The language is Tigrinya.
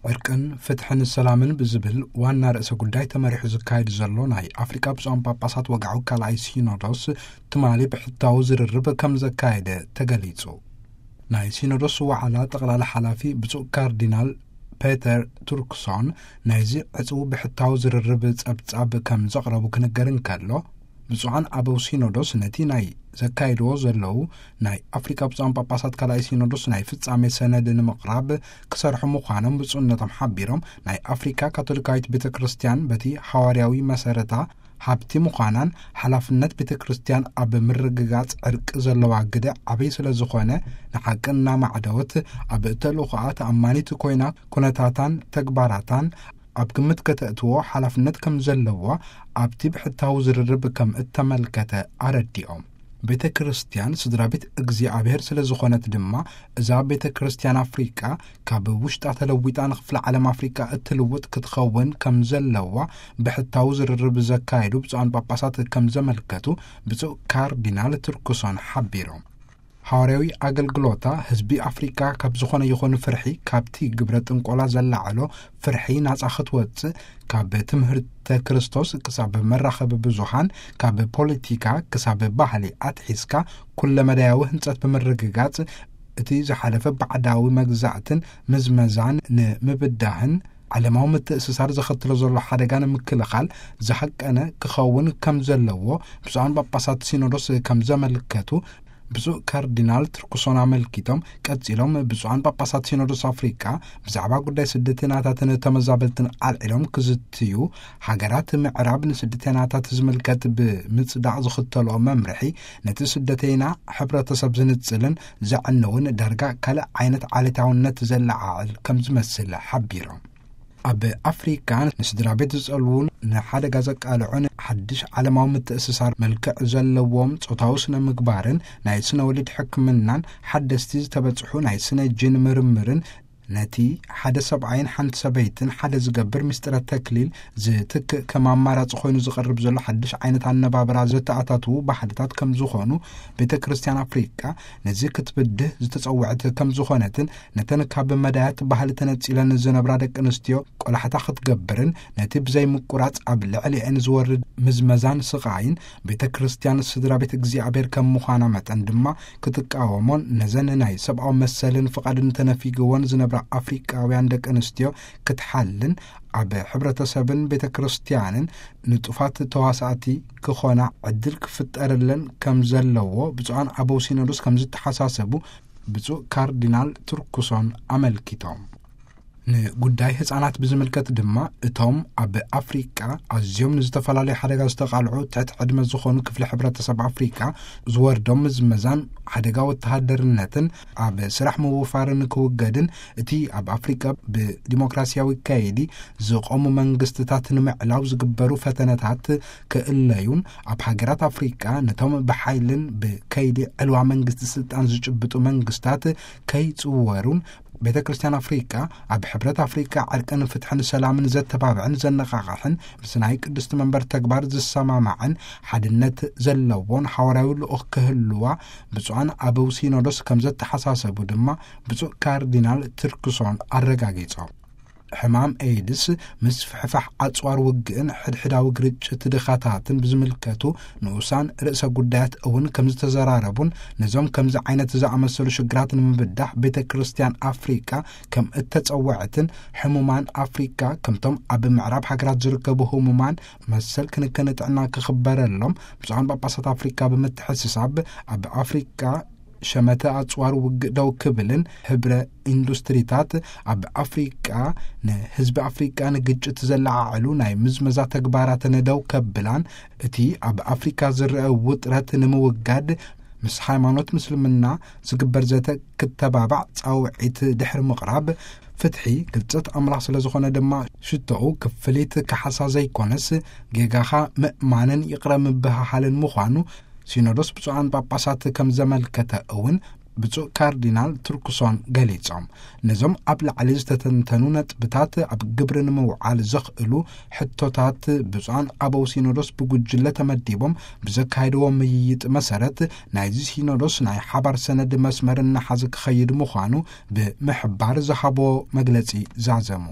ዕርቅን ፍትሕን ሰላምን ብዝብል ዋና ርእሰ ጉዳይ ተመሪሑ ዝካየድ ዘሎ ናይ ኣፍሪካ ብፁዓን ጳጳሳት ወግዓዊ ካልኣይ ሲኖዶስ ትማሊ ብሕታዊ ዝርርብ ከም ዘካየደ ተገሊጹ። ናይ ሲኖዶስ ዋዕላ ጠቕላላ ሓላፊ ብፁዕ ካርዲናል ፔተር ቱርክሶን ናይዚ ዕጹው ብሕታዊ ዝርርብ ጸብጻብ ከም ዘቕረቡ ክንገር እንከሎ፣ ብፁዓን ኣበው ሲኖዶስ ነቲ ናይ ዘካይድዎ ዘለዉ ናይ ኣፍሪካ ብፁዓን ጳጳሳት ካልኣይ ሲኖዶስ ናይ ፍጻሜ ሰነድ ንምቕራብ ክሰርሑ ምዃኖም ብፁዕነቶም ሓቢሮም፣ ናይ ኣፍሪካ ካቶሊካዊት ቤተ ክርስቲያን በቲ ሃዋርያዊ መሰረታ ሃብቲ ምዃናን ሓላፍነት ቤተ ክርስቲያን ኣብ ምርግጋጽ ዕርቂ ዘለዋ ግደ ዓብይ ስለ ዝኾነ፣ ንሓቂ እናማዕደወት ኣብ ተልእኾኣ ተኣማኒት ኮይና ኩነታታን ተግባራታን ኣብ ግምት ከተእትዎ ሓላፍነት ከም ዘለዋ ኣብቲ ብሕታዊ ዝርርብ ከም እተመልከተ ኣረዲኦም። ቤተ ክርስቲያን ስድራ ቤት እግዚኣብሔር ስለ ዝኾነት ድማ፣ እዛ ቤተ ክርስቲያን ኣፍሪቃ ካብ ውሽጣ ተለዊጣ ንክፍለ ዓለም ኣፍሪቃ እትልውጥ ክትኸውን ከም ዘለዋ ብሕታዊ ዝርርብ ዘካየዱ ብፁዓን ጳጳሳት ከም ዘመልከቱ ብፁዕ ካርዲናል ቱርክሶን ሓቢሮም። ሃዋርያዊ ኣገልግሎታ ህዝቢ ኣፍሪቃ ካብ ዝኾነ ይኹን ፍርሒ፣ ካብቲ ግብረ ጥንቆላ ዘላዓሎ ፍርሒ ናጻ ክትወጽእ፣ ካብ ትምህርተ ክርስቶስ ክሳብ መራኸቢ ብዙሃን፣ ካብ ፖለቲካ ክሳብ ባህሊ ኣትሒዝካ ኩለ መዳያዊ ህንጸት ብምርግጋጽ፣ እቲ ዝሓለፈ ባዕዳዊ መግዛእትን ምዝመዛን ንምብዳህን ዓለማዊ ምትእስሳር ዘኸትሎ ዘሎ ሓደጋ ንምክልኻል ዝሃቀነ ክኸውን ከም ዘለዎ ብፁዓን ጳጳሳት ሲኖዶስ ከም ዘመልከቱ ብፁዕ ካርዲናል ቱርክሶን ኣመልኪቶም፣ ቀጺሎም ብፁዓን ጳጳሳት ሲኖዶስ ኣፍሪቃ ብዛዕባ ጉዳይ ስደተናታትን ተመዛበልትን ኣልዒሎም ክዝትዩ፣ ሃገራት ምዕራብ ንስደተናታት ዝምልከት ብምጽዳቕ ዝኽተልኦ መምርሒ ነቲ ስደተይና ሕብረተሰብ ዝንጽልን ዘዕንውን ዳርጋ ካልእ ዓይነት ዓሌታውነት ዘለዓዕል ከም ዝመስል ሓቢሮም። ኣብ ኣፍሪካ ንስድራ ቤት ዝጸልዉን ንሓደጋ ዘቃልዑን ሓድሽ ዓለማዊ ምትእስሳር መልክዕ ዘለዎም ጾታዊ ስነ ምግባርን ናይ ስነ ወሊድ ሕክምናን ሓደስቲ ዝተበጽሑ ናይ ስነ ጅን ምርምርን ነቲ ሓደ ሰብኣይን ሓንቲ ሰበይትን ሓደ ዝገብር ምስጢረ ተክሊል ዝትክእ ከም ኣማራጺ ኮይኑ ዝቐርብ ዘሎ ሓድሽ ዓይነት ኣነባብራ ዘተኣታትዉ ባህልታት ከም ዝኾኑ ቤተ ክርስቲያን ኣፍሪቃ ነዚ ክትብድህ ዝተጸውዐት ከም ዝኾነትን ነተን ካብ መዳያት ባህሊ ተነጺለን ዝነብራ ደቂ ኣንስትዮ ቆላሕታ ክትገብርን ነቲ ብዘይ ምቁራጽ ኣብ ልዕሊአን ዝወርድ ምዝመዛን ስቓይን ቤተ ክርስቲያን ስድራ ቤት እግዚኣብሔር ከም ምዃና መጠን ድማ ክትቃወሞን ነዘን ናይ ሰብኣዊ መሰልን ፍቓድን ተነፊግወን ዝነብራ ኣፍሪቃውያን ደቂ ኣንስትዮ ክትሓልን ኣብ ሕብረተሰብን ቤተ ክርስቲያንን ንጡፋት ተዋሳእቲ ክኾና ዕድል ክፍጠርለን ከም ዘለዎ ብፁዓን ኣበው ሲኖዶስ ከም ዝተሓሳሰቡ ብፁዕ ካርዲናል ቱርክሶን ኣመልኪቶም። ንጉዳይ ህጻናት ብዝምልከት ድማ እቶም ኣብ ኣፍሪቃ ኣዝዮም ንዝተፈላለዩ ሓደጋ ዝተቓልዑ ትሕቲ ዕድመ ዝኾኑ ክፍሊ ሕብረተሰብ ኣፍሪቃ ዝወርዶም ምዝመዛን ሓደጋ ወተሃደርነትን ኣብ ስራሕ ምውፋርን ክውገድን እቲ ኣብ ኣፍሪቃ ብዲሞክራሲያዊ ከይዲ ዝቖሙ መንግስትታት ንምዕላው ዝግበሩ ፈተነታት ክእለዩን ኣብ ሃገራት ኣፍሪቃ ነቶም ብሓይልን ብከይዲ ዕልዋ መንግስቲ ስልጣን ዝጭብጡ መንግስታት ከይጽወሩን ቤተ ክርስቲያን ኣፍሪቃ ኣብ ሕብረት ኣፍሪቃ ዕርቅን ፍትሕን ሰላምን ዘተባብዕን ዘነቓቕሕን ምስ ናይ ቅድስቲ መንበር ተግባር ዝሰማማዕን ሓድነት ዘለዎን ሓዋርያዊ ልኡኽ ክህልዋ ብፁዓን ኣበው ሲኖዶስ ከም ዘተሓሳሰቡ ድማ ብፁዕ ካርዲናል ቱርክሶን ኣረጋጊጾም። ሕማም ኤድስ፣ ምስፍሕፋሕ ኣጽዋር ውግእን ሕድሕዳዊ ግርጭት ድኻታትን ብዝምልከቱ ንኡሳን ርእሰ ጉዳያት እውን ከም ዝተዘራረቡን ነዞም ከምዚ ዓይነት ዝኣመሰሉ ሽግራት ንምብዳህ ቤተ ክርስቲያን ኣፍሪቃ ከም እተጸወዐትን ሕሙማን ኣፍሪቃ ከምቶም ኣብ ምዕራብ ሃገራት ዝርከቡ ህሙማን መሰል ክንክን ጥዕና ክኽበረሎም ብፁዓን ጳጳሳት ኣፍሪቃ ብምትሕስሳብ ኣብ ኣፍሪቃ ሸመተ ኣጽዋር ውግእ ደው ክብልን ህብረ ኢንዱስትሪታት ኣብ ኣፍሪቃ ንህዝቢ ኣፍሪቃ ንግጭት ዘለዓዕሉ ናይ ምዝመዛ ተግባራትን ደው ከብላን እቲ ኣብ ኣፍሪካ ዝረአ ውጥረት ንምውጋድ ምስ ሃይማኖት ምስልምና ዝግበር ዘተ ክተባባዕ ጻውዒት ድሕሪ ምቕራብ ፍትሒ፣ ግልጸት ኣምላኽ ስለ ዝኾነ ድማ ሽቶኡ ክፍሊት ካሕሳ ዘይኮነስ ጌጋኻ ምእማንን ይቕረ ምብህሃልን ምዃኑ ሲኖዶስ ብፁዓን ጳጳሳት ከም ዘመልከተ እውን ብፁዕ ካርዲናል ቱርክሶን ገሊጾም፣ ነዞም ኣብ ላዕሊ ዝተተንተኑ ነጥብታት ኣብ ግብሪ ንምውዓል ዘኽእሉ ሕቶታት ብፁዓን ኣበው ሲኖዶስ ብጉጅለ ተመዲቦም ብዘካየድዎ ምይይጥ መሰረት፣ ናይዚ ሲኖዶስ ናይ ሓባር ሰነድ መስመር እናሓዘ ክኸይድ ምዃኑ ብምሕባር ዝሃቦ መግለጺ ዛዘሙ።